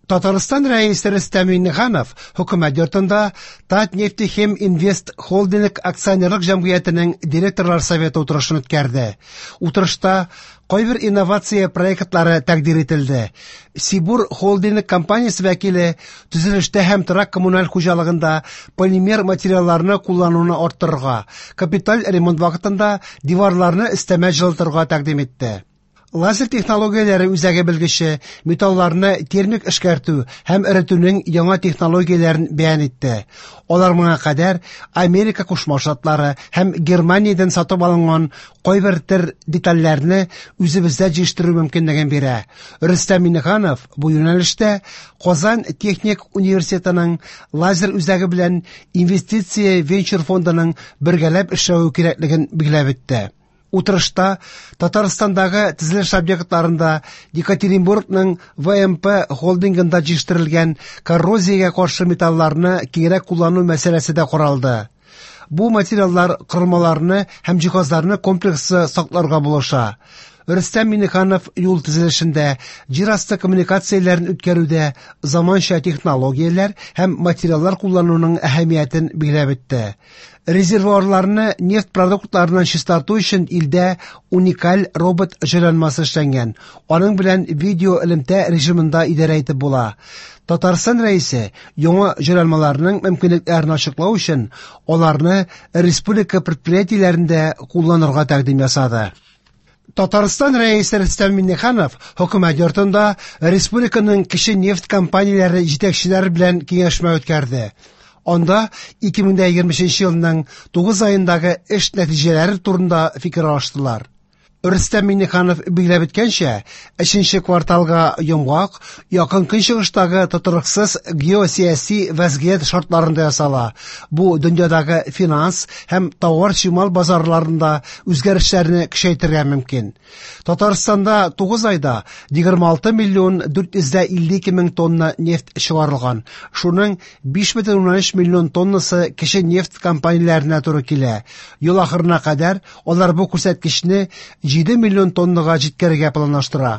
Татарстан Рәисе Рөстәм Миңнеханов Хөкүмәт йортында Татнефтехим Инвест Холдинг акционерлык җәмгыятенең директорлар советы утырышын үткәрде. Утырышта кайбер инновация проектлары тәкъдир ителде. Сибур Холдинг компаниясе вәкиле төзелештә һәм торак коммуналь хуҗалыгында полимер материалларны куллануны арттырырга, капиталь ремонт вакытында диварларны өстәмә җылытырга тәкъдим итте. Лазер технологияләре үзәге белгече металларны термик эшкәртү һәм эретүнең яңа технологияләрен бәян итте. Алар моңа кадәр Америка Кушма Штатлары һәм Германиядән сатып алынган кайбер төр детальләрне үзебездә җитештерү мөмкинлеген бирә. Рөстәм Миңнеханов бу юнәлештә Казан техник университетының лазер үзәге белән инвестиция венчур фондының бергәләп эшләве кирәклеген билгеләп үтте. Утырышта Татарстандагы төзелеш объектларында Екатеринбургның ВМП холдингында җитештерелгән коррозиягә каршы металларны киңрәк куллану мәсьәләсе дә каралды. Бу материаллар корылмаларны һәм җиһазларны комплекслы сакларга булыша. Рөстәм Миңнеханов юл төзелешендә, җир асты коммуникацияләрен үткәрүдә заманча технологияләр һәм материаллар куллануның әһәмиятен билгеләп үтте. Резервуарларны нефть продуктларыннан чистарту өчен илдә уникаль робот җайланмасы эшләнгән. Аның белән видео элемтә режимында идарә итеп була. Татарстан Рәисе яңа җайланмаларның мөмкинлекләрен ачыклау өчен аларны республика предприятиеләрендә кулланырга тәкъдим ясады. Татарстан Рәисе Рөстәм Миңнеханов Хөкүмәт йортында республиканың кече нефть компанияләре җитәкчеләре белән киңәшмә үткәрде. Анда 2023 елның 9 аендагы эш нәтиҗәләре турында фикер алыштылар. Рөстәм Миңнеханов билгеләп үткәнчә, өченче кварталга йомгак Якын Көнчыгыштагы тотрыксыз геосәяси вәзгыять шартларында ясала. Бу дөньядагы финанс һәм товар-чимал базарларында үзгәрешләрне көчәйтергә мөмкин. Татарстанда 9 айда 26 миллион 452 мең тонна нефть чыгарылган. Шуның 5,3 миллион тоннасы кече нефть компанияләренә туры килә. Ел ахырына кадәр алар бу күрсәткечне 7 миллион тоннага җиткерергә планлаштыра.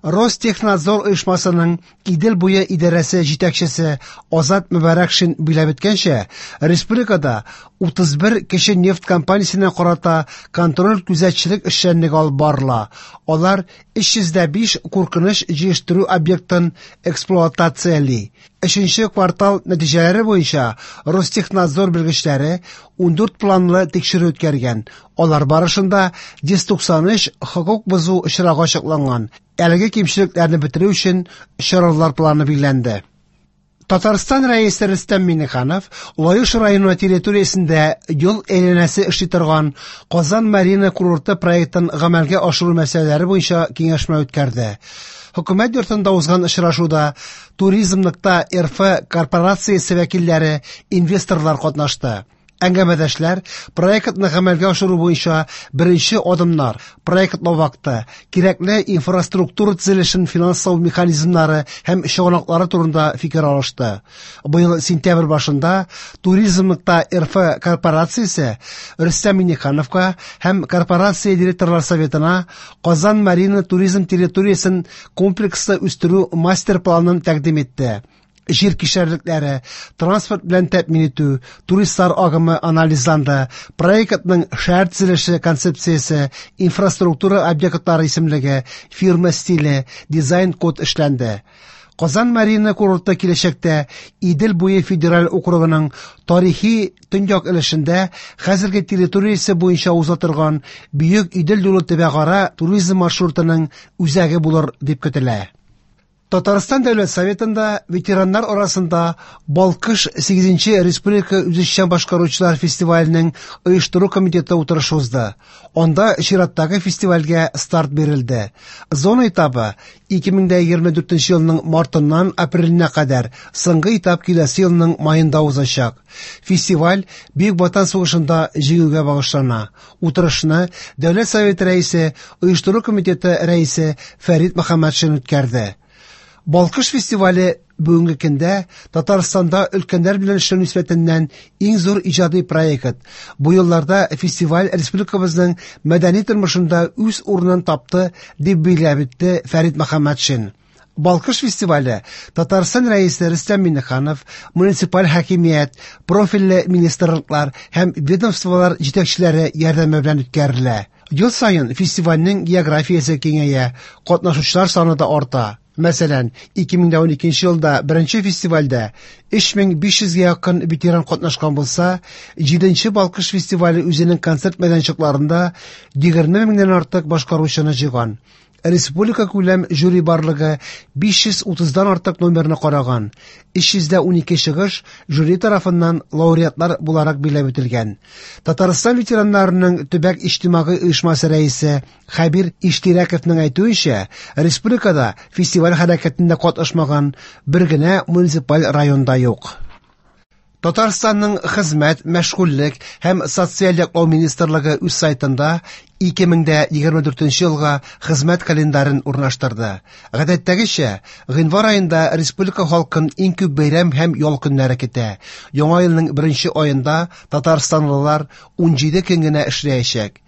Ростехнадзор оешмасының Идел буе идарәсе җитәкчесе Азат Мөбарәкшин билгеләп үткәнчә, республикада 31 кече нефть компаниясенә карата контроль күзәтчелек эшчәнлеге алып барыла. Алар 305 куркыныч җыештыру объектын эксплуатацияли. Өченче квартал нәтиҗәләре буенча Ростехнадзор белгечләре 14 планлы тикшерү үткәргән. Алар барышында 193 хокук бозу очрагы ачыкланган. Әлеге кимчелекләрне бетерү өчен чаралар планы билгеләнде. Татарстан Рәисе Рөстәм Миңнеханов Лаеш районы территориясендә ел әйләнәсе эшли торган Казан Марина курорты проектын гамәлгә ашыру мәсьәләләре буенча киңәшмә үткәрде. Хөкүмәт йортында узган очрашуда Туризм.РФ корпорациясе вәкилләре, инвесторлар катнашты. Әңгәмәдәшләр проектны гамәлгә ашыру буенча беренче адымнар, проектлау вакыты, кирәкле инфраструктура төзелешен финанслау механизмнары һәм чыганаклары турында фикер алышты. Быел сентябрь башында Туризм.РФ корпорациясе Рөстәм Миңнехановка һәм корпорация директорлар советына Казан Марина туризм территориясен комплекслы үстерү мастер-планын тәкъдим итте. Җир кишәрлекләре, транспорт белән тәэмин итү, туристлар агымы анализланды, проектның шәһәр төзелеше концепциясе, инфраструктура объектлары исемлеге, фирма стиле, дизайн-код эшләнде. Казан Марина курорты киләчәктә Идел буе федераль округының тарихи төньяк өлешендә хәзерге территориясе буенча уза торган Бөек Идел юлы төбәкара туризм маршрутының үзәге булыр дип көтелә. Татарстан Дәүләт Советында ветераннар арасында Балкыш 8 республика үзешчән башкаручылар фестиваленең оештыру комитеты утырышы узды. Анда чираттагы фестивальгә старт бирелде. Зона этабы 2024 елның мартыннан апреленә кадәр, соңгы этап киләсе елның маенда узачак. Фестиваль Бөек Ватан сугышында җиңүгә багышлана. Утырышны Дәүләт Советы рәисе, оештыру комитеты рәисе Фәрит Мөхәммәтшин үткәрде. Балкыш фестивале бүгенге көндә Татарстанда өлкәннәр белән эшләү нисбәтеннән иң зур иҗади проект. Бу елларда фестиваль республикабызның мәдәни тормышында үз урынын тапты, дип билгеләп үтте Фәрит Мөхәммәтшин. Балкыш фестивале Татарстан Рәисе Рөстәм Миңнеханов, муниципаль хакимият, профильле министрлыклар һәм ведомстволар җитәкчеләре ярдәме белән үткәрелә. Ел саен фестивальнең географиясе киңәя, катнашучылар саны да арта. Мәсәлән, 2012 елда беренче фестивальдә 3500 гә якын ветеран катнашкан булса, 7нче Балкыш фестивале үзенең концерт мәйданчыкларында 20 меңнән артык башкаручыны җыйган. Республика күләм жюри барлыгы 530дан артык номерны караган. 312 чыгыш жюри тарафыннан лауреатлар буларак билгеләп үтелгән. Татарстан ветераннарының төбәк иҗтимагый оешмасы рәисе Хәбир Иштирәковның әйтүенчә, республикада фестиваль хәрәкәтендә катнашмаган бер генә муниципаль район да юк. Татарстанның Хезмәт, мәшгульлек һәм социаль яклау министрлыгы үз сайтында 2024 елга хезмәт календарен урнаштырды. Гадәттәгечә, гыйнвар аенда республика халкын иң күп бәйрәм һәм ял көннәре көтә. Яңа елның беренче аенда татарстанлылар 17 көн генә эшләячәк.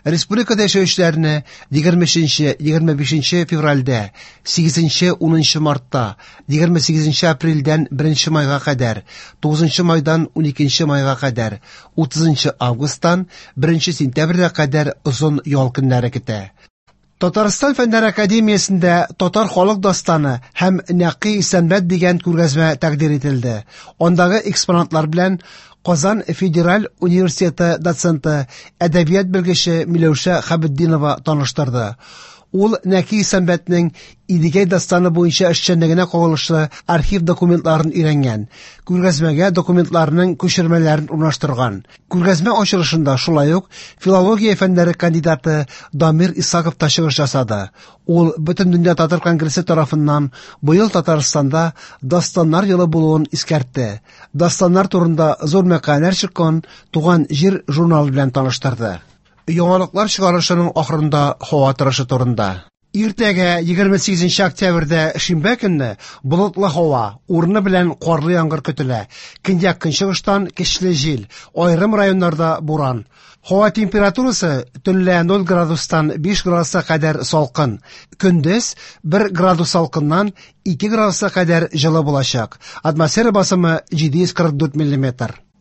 Республикада яшәүчеләрне 23-25 февральдә, 8-10 мартта, 28 апрельдән 1 майга кадәр, 9 майдан 12 майга кадәр, 30 августтан 1 сентябрьгә кадәр озын ял көннәре көтә. Татарстан Фәннәр академиясендә Татар халык дастаны һәм Нәкый Исәнбәт дигән күргәзмә тәкъдир ителде. Андагы экспонатлар белән Казан федераль университеты доценты, әдәбият белгече Миләүшә Хәбетдинова таныштырды. Ул Нәки Исәнбәтнең Идегәй дастаны буенча эшчәнлегенә кагылышлы архив документларын өйрәнгән, күргәзмәгә документларның күчермәләрен урнаштырган. Күргәзмә ачылышында шулай ук филология фәннәре кандидаты Дамир Исаков та чыгыш ясады. Ул Бөтендөнья татар конгрессы тарафыннан быел Татарстанда Дастаннар елы булуын искәртте. Дастаннар турында зур мәкаләләр чыккан Туган җир журналы белән таныштырды. Яңалыклар чыгарылышының ахырында һава торышы турында. Иртәгә 28 октябрьдә шимбә көнне болытлы һава, урыны белән карлы яңгыр көтелә. Көньяк-көнчыгыштан көчле җил, аерым районнарда буран. Һава температурасы төнлә 0 градустан 5 градуска кадәр салкын. Көндез 1 градус салкыннан 2 градуска кадәр җылы булачак. Атмосфера басымы 744 миллиметр.